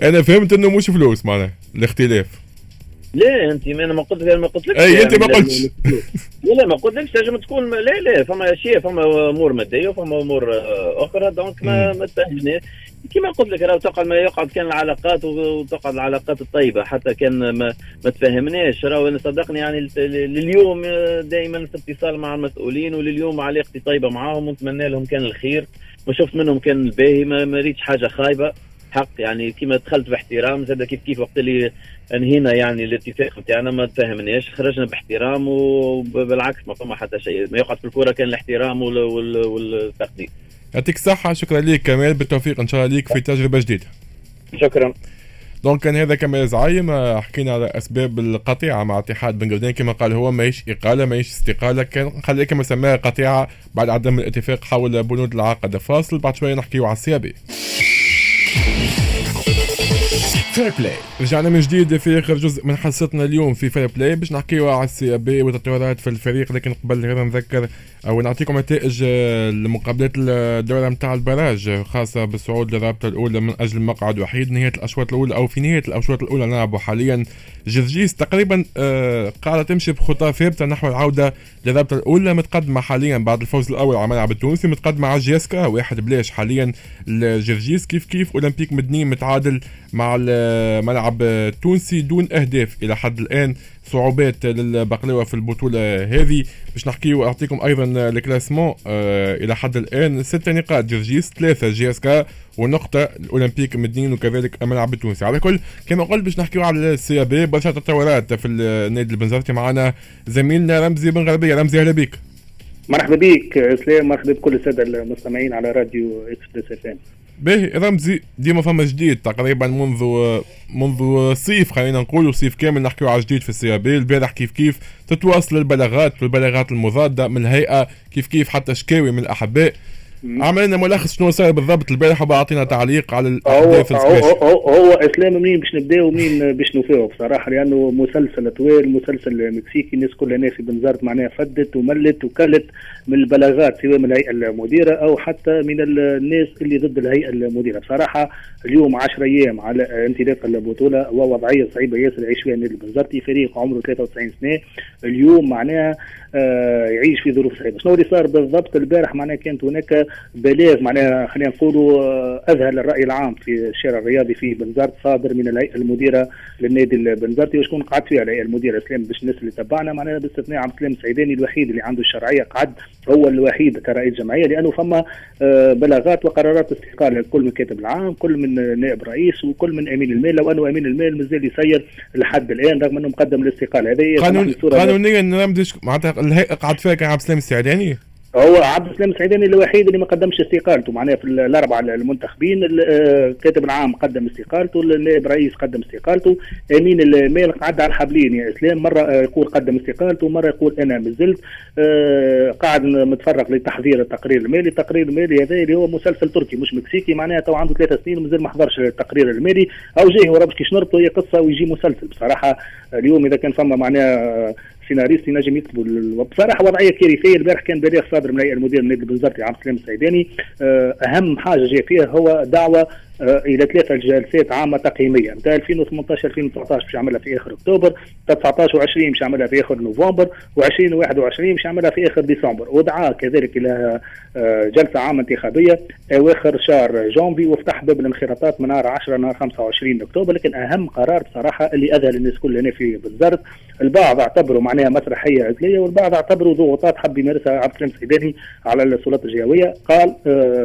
انا فهمت انه مش فلوس معناها الاختلاف. لا انت ما انا ما قلت ما قلتلكش. اي انت ما قلتش. لا ما قلتلكش تنجم تكون لا لا فما اشياء، فما امور مادية وفما امور اخرى، donc ما تفهمناش. كما قلت لك راه تقعد ما يقعد كان العلاقات وتقعد العلاقات الطيبة حتى كان ما تفهمناش. راه صدقني يعني لليوم دائما في اتصال مع المسؤولين، ولليوم علاقتي طيبة معاهم ونتمنى لهم كان الخير، ما شفت منهم كان الباهي، ما ريتش حاجة خايبة حق يعني. كما دخلت باحترام زاد كيف كيف وقت اللي انهينا يعني الاتفاق نتاعنا ما تفاهمناش، خرجنا باحترام وبالعكس ما فما حتى شيء، ما يقعد في الكورة كان الاحترام والتقدير. يعطيك الصحة، شكرا لك كمال، بالتوفيق ان شاء الله ليك في تجربة جديدة. شكرا. donc كان هذا كمال زعيم، حكينا على اسباب القطيعة مع اتحاد بن قردان، كما قال هو ماهيش اقاله ماهيش استقالة، كان خليه كما سماها قطيعة بعد عدم الاتفاق حول بنود العقد. فاصل بعد شوية نحكيو على ال CAB. Fair Play. رجعنا من جديد في اخر جزء من حصتنا اليوم في Fair Play باش نحكيو على ال CAB والتطورات في الفريق، لكن قبل هذا نذكر او نعطيكم نتائج المقابلات الدورة نتاع ال barrage خاصة بالصعود للرابطة الاولى من اجل مقعد وحيد. نهاية الاشواط الاولى او في نهاية الاشواط الاولى نلعبوا حاليا جرجيس تقريبا قاعدة تمشي بخطى ثابتة نحو العودة للرابطة الاولى، متقدمة حاليا بعد الفوز الاول على الملعب التونسي، متقدمة على JSK 1-0 حاليا الجرجيس. كيف كيف اولمبيك مدني متعادل مع الملعب التونسي دون اهداف الى حد الان. صعوبات للبقلاوه في البطولة هذه باش نحكيو. اعطيكم ايضا ال classement الى حد الان 6 نقاط جرجيس، 3 JSK، ونقطة الاولمبيك مدنين وكذلك الملعب التونسي. على كل كما قلت باش نحكيو على ال CAB، برشا تطورات في النادي البنزرتي. معنا زميلنا رمزي بن غربية. رمزي اهلا بك. مرحبا بك اسلام، مرحبا بكل السادة المستمعين على راديو Express FM. باهي رمزي، ديما فما جديد تقريبا منذ صيف، خلينا نقولوا صيف كامل نحكيو على جديد في ال CAB. البارح كيف كيف تتواصل البلاغات والبلاغات المضادة من الهيئة، كيف كيف حتى شكاوي من الاحباء. عملنا ملخص شنو صار بالضبط البارح وبعطينا تعليق على الاحداث. هو اسلام منين باش نبداو ومنين باش نوفاو بصراحة، لانه مسلسل طويل، مسلسل مكسيكي. الناس كلها هنا في بنزرت معناها فدت وملت وكلت من البلاغات سواء من الهيئة المديرة او حتى من الناس اللي ضد الهيئة المديرة. بصراحة اليوم 10 ايام على انطلاق البطولة ووضعيه صعيبة ياسر يعيش فيها النادي البنزرتي، فريق عمره 93 سنة اليوم معناها يعيش في ظروف صعيبة. شنو اللي صار بالضبط البارح؟ معناها كانت هناك بلاغ معناها خلينا نقولوا اذهل الراي العام في الشارع الرياضي في بنزرت، صادر من الهيئة المديرة للنادي البنزرتي. وشكون قعد فيها الهيئة المديرة اسلام باش الناس اللي تبعنا معناها باستثناء عبد السلام السعيداني الوحيد اللي عنده الشرعية، قعد هو الوحيد كرئيس جمعية، لانه فما بلاغات وقرارات استقالة كل من كاتب العام، كل من نائب رئيس، وكل من امين المال، لو انه امين المال مازال يسير لحد الان رغم انه مقدم الاستقالة. هذه قانونيا معناتها الهيئة قعد فيها كان عبد السلام السعيداني، هو عبد السلام السعيداني الوحيد اللي ما قدمش استقالته معناها في الاربعة المنتخبين. الكاتب العام قدم استقالته، النائب رئيس قدم استقالته، امين المال قعد على الحبلين يا اسلام، مرة يقول قدم استقالته مرة يقول انا مازلت قاعد متفرغ لتحضير التقرير المالي. التقرير المالي هذا اللي هو مسلسل تركي مش مكسيكي، معناها تو عنده 3 سنين ومازال ما حضرش التقرير المالي او جاي ورا باش كيش نربطه، هي قصة ويجي مسلسل. بصراحة اليوم اذا كان فما معناها سيناريست ينجم يكتبوا. بصراحة وضعية كارثية. البارح كان بلاغ صادر من الهيئة المديرة للنادي البنزرتي عبد السلام السعيداني، اهم حاجة جاء فيها هو دعوه الى 3 جلسات عامة تقييميه نتاع 2018 2019 باش يعملها في اخر اكتوبر، 19 و20 باش يعملها في اخر نوفمبر، و20 و21 باش يعملها في اخر ديسمبر. ودعا كذلك الى جلسه عامة انتخابية اواخر شهر جانفي، وفتح باب الانخراطات من نهار 10 نهار 25 اكتوبر. لكن اهم قرار بصراحة اللي اذهل الناس كلها هنا في بنزرت، البعض اعتبروا معناها مسرحية عزليه والبعض اعتبروا ضغوطات حب يمارسها عبد السلام السعيداني على السلطات الجهوية، قال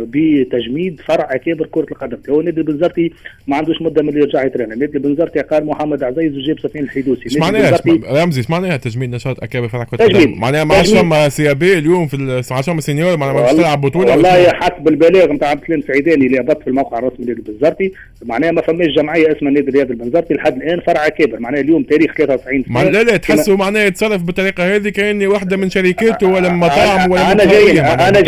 بتجميد فرع اكابر كره القدم. النادي البنزرتي ما عندوش مده من اللي يرجع يترنى. النادي البنزرتي قال محمد عزيز وجاب سفيان الحيدوسي. ايش معناها رمزي، ايش معناها تجميد نشاط اكابر فرع كره القدم؟ معناها ما عادش فما CAB اليوم في ما عادش فما senior، معناها ما تلعب بطوله. والله حسب البلاغ نتاع عبد السلام سعيداني اللي هبط في الموقع الرسمي للنادي البنزرتي، معناها ما فماش جمعية اسمها النادي الرياضي البنزرتي لحد الان فرع اكابر. معناها اليوم تاريخ 93 سنة. لا لا تحسوا معناها يتصرف بالطريقة هذه كاني واحدة من شركاته ولا من مطاعم ولا انا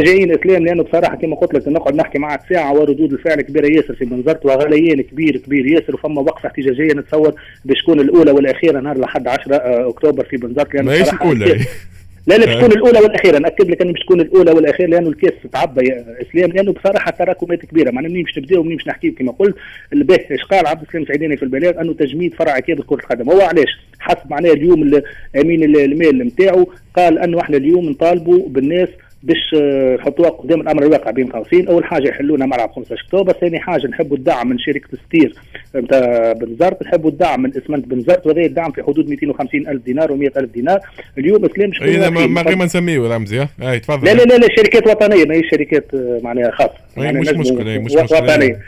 جايين اسلام، لانه بصراحة كما قلت لك نقعد نحكي معك ساعة وردود الفعل كبيرة ياسر في بنزرت وغليان كبير كبير ياسر، وفما وقفه احتجاجية نتصور باش تكون الاولى والاخيرة نهار لحد 10 اكتوبر في بنزرت. لانه ماهيش الاولى لا باش تكون الاولى والاخيرة، ناكد لك ان باش تكون الاولى والاخيرة لانه الكاس تعبى يا اسلام، لانه بصراحة تراكمات كبيرة. معناها منين باش نبداو ومنين باش نحكي كما قلت. الباه اش قال عبد السلام سعيداني في البلاغ؟ انه تجميد فرع اكابر كره القدم. هو علاش حسب معناها اليوم امين المال نتاعو قال انه احنا اليوم نطالبوا بالناس باش نحطوها قدام الامر الواقع بين قوسين. اول حاجة يحلونا ملعب 15 اكتوبر، ثاني حاجة نحبوا الدعم من شركة ستير نتاع بنزرت، نحبوا الدعم من اسمنت بنزرت، وهذا الدعم في حدود 250 الف دينار و100 الف دينار. اليوم اسلام شكون ما غير ما نسميه رمزي. اي تفضل. لا لا لا, لا شركات وطنية ماهيش شركات معناها خاصة، مش مشكلة، مش مشكلة وطنية،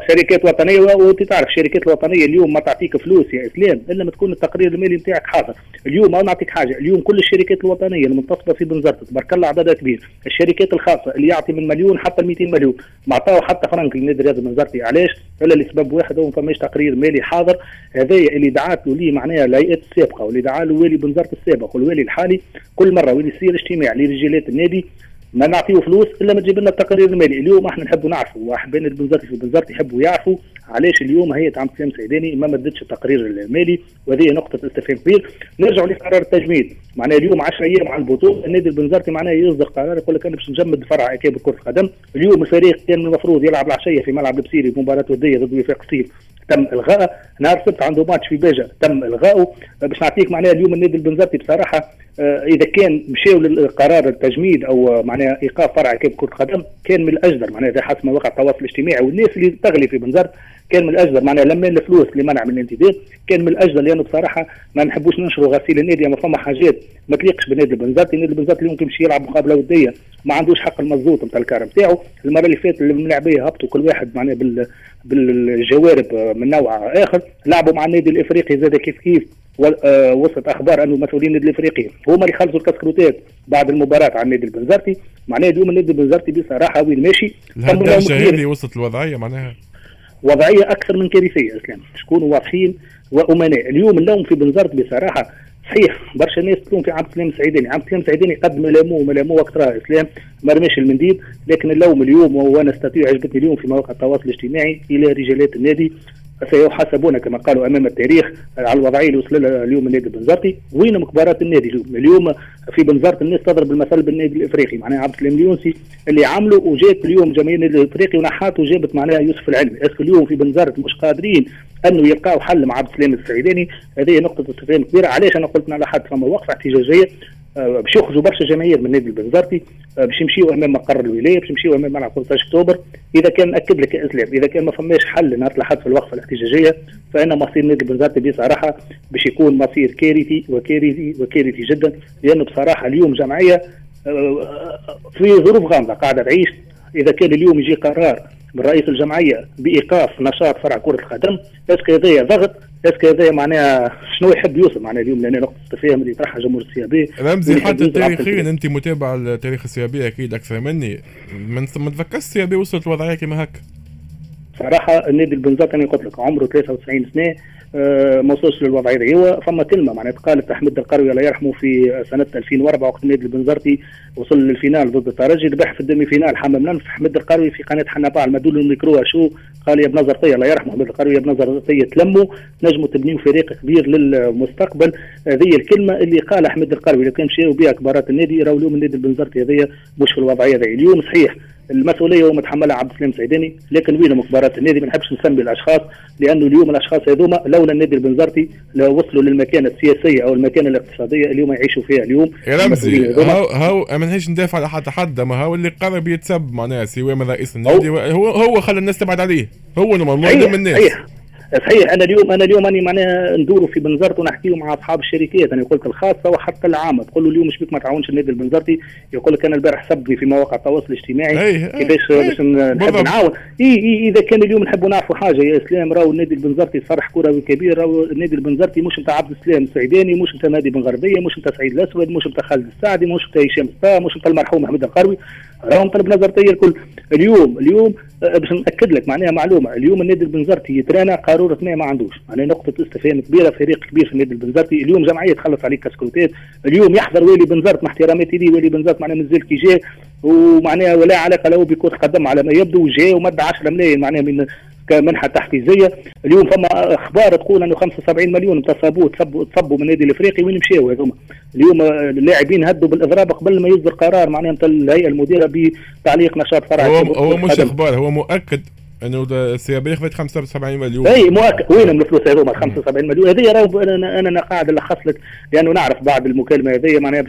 شركات وطنية. وانت تعرف الشركات الوطنية اليوم ما تعطيك فلوس يا اسلام الا ما تكون التقرير المالي نتاعك حاضر. اليوم انا نعطيك حاجة، اليوم كل الشركات الوطنية المنتصبه في بنزرت تبارك الله عددها كبير، الشركات الخاصة اللي يعطي من مليون حتى 200 مليون ما عطاو حتى فرنك للنادي الرياضي البنزرتي. علاش؟ الا لسبب واحد، هو ما فماش تقرير مالي حاضر. هذايا اللي دعات له ليه معناها الهيئات السابقة واللي دعا له والي بنزرت السابق والوالي الحالي، كل مرة وين يصير اجتماع لرجالات النادي ما نعطيه فلوس الا ما تجيب لنا التقرير المالي. اليوم احنا نحبوا نعرفوا، واحبائنا البنزرتي في بنزرت يحبوا يعرفوا علاش اليوم هيئة عبد السلام سعيداني ما مدتش التقرير المالي، وهذه نقطة استفهام كبير. نرجعوا لقرار التجميد، معناها اليوم 10 ايام على البطولة النادي البنزرتي معناها يصدر قرار يقول لك انا باش نجمد فرع اكابر كره القدم. اليوم الفريق كان من المفروض يلعب العشية في ملعب البسيري مباراة وديه ضد وفاق سطيف، تم الغائه. نهار السبت عنده ماتش في باجه تم الغائه. باش نعطيك معناها اليوم النادي البنزرتي بصراحة اذا كان مشاو للقرار التجميد او معناها ايقاف فرع اكابر كره القدم كان من الاجدر، معناها اذا حسب مواقع التواصل الاجتماعي والناس اللي تغلي في بنزرت كان من الاجدر معناها لما الفلوس اللي منع من الانتداب كان من الاجدر، لانه بصراحة ما نحبوش ننشروا غسيل النادي. ما فما حاجات ما تليقش بالنادي البنزرتي. النادي البنزرتي اليوم كيمشي يلعب مقابله وديه ما عندوش حق المزوط نتاع الكار نتاعو. المرة اللي فاتت الملاعبيه هبطوا كل واحد معناها بالجوارب من نوع اخر، لعبوا مع النادي الافريقي زاد كيف كيف. وصلت اخبار انه مسؤولين النادي الافريقي هما اللي خلصوا الكسكروتات بعد المباراة على النادي البنزرتي. معناها اليوم النادي البنزرتي بصراحة وين ماشي؟ الدرجة هذه وصلت الوضعية، معناها وضعية اكثر من كارثية اسلام، شكونوا واضحين وامناء. اليوم اللوم في بنزرت بصراحة صحيح برشا ناس تلوم في عبد السلام السعيداني، عبد السلام السعيداني قد ملاموه وقت راه اسلام ما رماش المنديل، لكن اللوم اليوم وانا استطيع عجبتني اليوم في مواقع التواصل الاجتماعي الى رجالات النادي سيحاسبون كما قالوا امام التاريخ على الوضعية اللي وصل لها اليوم النادي البنزرتي. وين كبارات النادي اليوم؟ اليوم في بنزرت الناس تضرب المثل بالنادي الافريقي، معناها عبد السلام اليونسي اللي عمله وجات اليوم جماهير النادي الافريقي ونحات وجابت معناها يوسف العلمي. est-ce que اليوم في بنزرت مش قادرين انه يلقاو حل مع عبد السلام السعيداني؟ هذه نقطة استفهام كبيرة. علاش انا قلت على حد فما وقفه احتجاجية باش يخرجوا برشا جماهير من النادي البنزرتي، باش يمشيوا امام مقر الولاية، باش يمشيوا امام ملعب 15 اكتوبر. اذا كان ناكد لك يا اسلام اذا كان ما فماش حل نهار الاحد في الوقفة الاحتجاجية فان مصير النادي البنزرتي بصراحة باش يكون مصير كارثي وكارثي وكارثي جدا، لانه بصراحة اليوم جمعية في ظروف غامضة قاعدة تعيش. اذا كان اليوم يجي قرار من رئيس الجمعية بايقاف نشاط فرع كره القدم، est-ce que هذايا ضغط؟ est-ce que هذايا معناها شنو يحب يوصل معناها اليوم؟ لان نقطة التفاهم اللي طرحها جمهور ال CAB رمزي حتى تاريخيا انت متابع التاريخ ال CAB اكيد اكثر مني، ما تفكرش ال CAB وصلت الوضعية كما هكا؟ صراحة النادي البنزرتي انا قلت لك عمره 93 سنة ما وصلش للوضعيه هذه. هو فما كلمة معناها قالت احمد القروي الله يرحمه في سنة 2004 وقت النادي البنزرتي وصل لل finale ضد الترجي، ربح في ال demi-finale حمام لنف. احمد القروي في قناة حنبعل مدوا له الميكرو شو قال يا بنزرتيه الله يرحمه احمد القروي يا بنزرتيه تلموا نجموا تبنيوا فريق كبير للمستقبل. هذه الكلمة اللي قال احمد القروي لو كان مشاو بها كبارات النادي راهو اليوم النادي البنزرتي هذايا مش في الوضعية هذه. اليوم صحيح المسؤولية هو متحملها عبد السلام السعيداني، لكن وينهم كبارات النادي؟ ما نحبش نسمي الاشخاص، لانه اليوم الاشخاص هذوما لولا النادي البنزرتي لو وصلوا للمكانه السياسية او المكانة الاقتصادية اليوم يعيشوا فيها اليوم. يا رمزي هاو ما نحبش ندافع على حتى حد، ما هو اللي قرب يتسب معناها سواء من رئيس النادي هو خلى الناس تبعد عليه، هو normalement من الناس. صحيح انا اليوم اني معناها ندوروا في بنزرت ونحكيو مع اصحاب الشركات، انا قلت الخاصة وحتى العامة، تقول له اليوم مش بك ما تعاونش النادي البنزرتي، يقول لك انا البارح سبني في مواقع التواصل الاجتماعي كيفاش باش نحب نعاون. اي اذا كان اليوم نحبوا نعرفوا حاجة يا اسلام، راهو النادي البنزرتي صرح كروي كبير، راهو النادي البنزرتي مش نتاع عبد السلام السعيداني، مش نتاع نادي بن غربية، مش نتاع سعيد الاسود، مش نتاع خالد السعدي، مش نتاع هشام الصا، مش نتاع المرحوم احمد القروي، راهم طلب نظرتي الكل. اليوم باش ناكد لك معناها معلومة، اليوم النادي البنزرتي يترانا قارورة ماء ما عندوش، معناها نقطة استفهام كبيرة، فريق كبير في النادي البنزرتي. اليوم جمعية تخلص عليك كاسكروتات، اليوم يحضر والي بنزرت مع احتراماتي ليه، والي بنزرت معناها مازال كي جاء ومعناها ولا علاقة له بكره قدم على ما يبدو، جاء ومد 10 ملايين معناها من كمنحه تحفيزيه. اليوم فما اخبار تقول انه 75 مليون تصبوا من النادي الافريقي، وين مشاو هذوما؟ اليوم اللاعبين هدوا بالاضراب قبل ما يصدر قرار معناها نتاع الهيئة المديرة بتعليق نشاط فرع. هو مش اخبار، هو مؤكد انه ال CAB خذت 75 مليون. اي مؤكد، وينهم الفلوس هذوما 75 مليون هذه؟ راهو انا قاعد نلخص لك لانه نعرف بعد المكالمة هذه معناها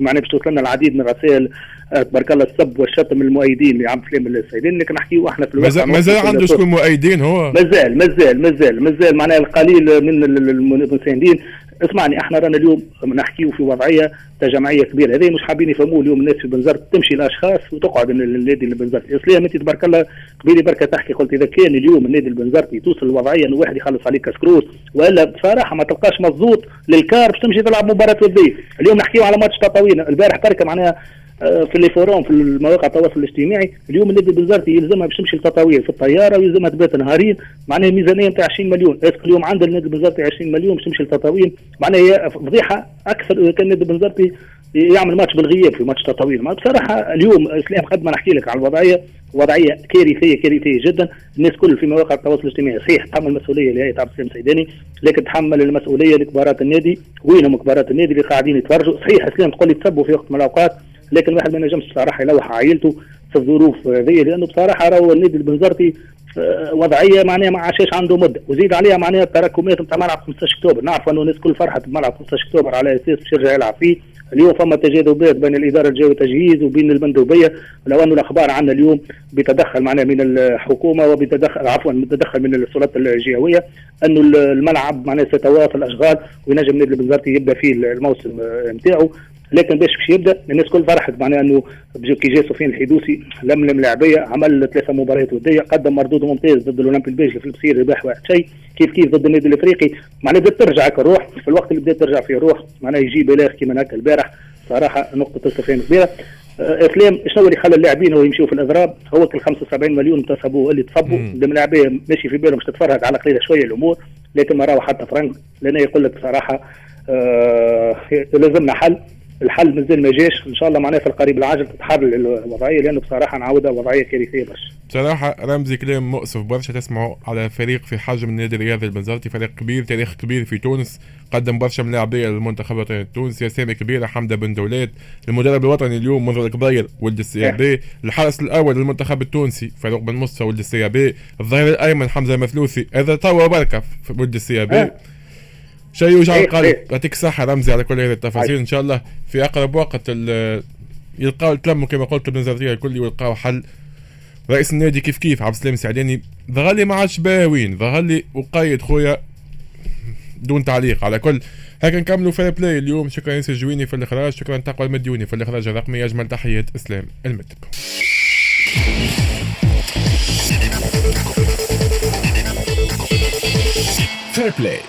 باش توصلنا العديد من الرسائل تبارك الله السب والشتم المؤيدين لعبد السلام السعيداني، لكن نحكيو احنا في الوقت مازال عنده شكون مؤيدين، هو مازال مازال مازال مازال معناها القليل من المساندين. اسمعني، احنا رانا اليوم نحكيو في وضعية تجمعيه كبيرة، هذه مش حابين يفهموه اليوم الناس في بنزرت، تمشي الاشخاص وتقعد النادي البنزرتي. اسلام انت تبارك الله قبيلي بركة تحكي، قلت اذا كان اليوم النادي البنزرتي توصل الوضعية انه واحد يخلص عليك كسكروس، والا بصراحة ما تلقاش مزوط للكار باش تمشي تلعب مباراة وديه. اليوم نحكيو على ماتش تطاوين البارح بركة معناها في les forums في المواقع التواصل الاجتماعي، اليوم النادي البنزرتي يلزمها باش تمشي لتطاوين في الطيارة ويلزمها تبات نهارين، معناها ميزانية نتاع 20 مليون. est-ce que اليوم عند النادي البنزرتي 20 مليون باش تمشي لتطاوين؟ معناها هي فضيحة اكثر اذا كان النادي البنزرتي يعمل ماتش بالغياب في ماتش تطاوين. بصراحة اليوم اسلام قد ما نحكي لك على الوضعية، وضعية كارثية كارثية جدا. الناس كل في مواقع التواصل الاجتماعي صحيح تحمل المسؤولية لهيئة عبد السلام السعيداني، لكن تحمل المسؤولية لكبارات النادي. وينهم كبارات النادي اللي قاعدين يتفرجوا؟ صحيح اسلام تقول لي تسبوا في وقت من الاوقات، لكن الواحد ما ينجمش بصراحة يلوح عائلته في الظروف هذه، لانه بصراحة راهو النادي البنزرتي وضعية معناها ما عاشش عنده مده، وزيد عليها معناها التراكمات نتاع ملعب 15 اكتوبر. نعرف انه الناس كل فرحت بملعب 15 اكتوبر على اساس باش يرجع يلعب فيه. اليوم فما تجاذبات بين الادارة الجوية تجهيز وبين المندوبيه، لو انه الاخبار عندنا اليوم بتدخل معناها من الحكومة وبتدخل عفوا بتدخل من السلطات الجهوية انه الملعب معناها سيتواصل الاشغال وينجم النادي البنزرتي يبدا فيه الموسم نتاعو. لكن باش يبدا الناس كل فرحت معناها انه كي جا سفيان الحيدوسي لملم لاعبيه، عمل 3 مباريات وديه، قدم مردود ممتاز ضد الاولمبي البيجي في البصير ربح 1-0، كيف كيف ضد النادي الافريقي، معناها بدات ترجع الروح في الوقت اللي بدات ترجع فيه الروح، معناها يجي بلاغ كيما هكا البارح. صراحة نقطة استفهام كبيرة. اسلام شنو اللي خلى اللاعبين هو يمشيوا في الاضراب؟ هو كل 75 مليون تصبوا اللي تصبوا اللاعبيه ماشي في بالهم باش تتفرهد على قليله شوية الامور، لكن ما راهو حتى فرنك، لان يقول لك بصراحة لازمنا حل. الحل مازال ما جاش، ان شاء الله معناها في القريب العاجل تتحرر الوضعية، لانه بصراحة نعاودها وضعية كارثية برشا. بصراحة رمزي كلام مؤسف برشا تسمعوا على فريق في حجم النادي الرياضي البنزرتي، فريق كبير، تاريخ كبير في تونس، قدم برشا من لاعبيه للمنتخب الوطني التونسي، اسامي كبيرة، حمده بن دولات، المدرب الوطني اليوم منذر الكبير ولد ال CAB، الحارس الاول للمنتخب التونسي فاروق بن مصطفى ولد ال CAB، الظهير الايمن حمزة مثلوثي، هذا توا بركة ولد ال CAB. شيء يوجع القلب. يعطيك الصحة رمزي على كل هذه التفاصيل. إن شاء الله في أقرب وقت يلقاو تلموا كما قلت البنزرتية الكل ويلقاو حل. رئيس النادي كيف كيف عبد السلام السعداني ظهر لي ما عادش باهوين، ظهر لي وقيد خويا دون تعليق. على كل هكا نكملوا Fair Play اليوم. شكرا ياسر جويني في الإخراج، شكرا تقوى المديوني في الإخراج الرقمي، أجمل تحيات إسلام المدب. Fair Play.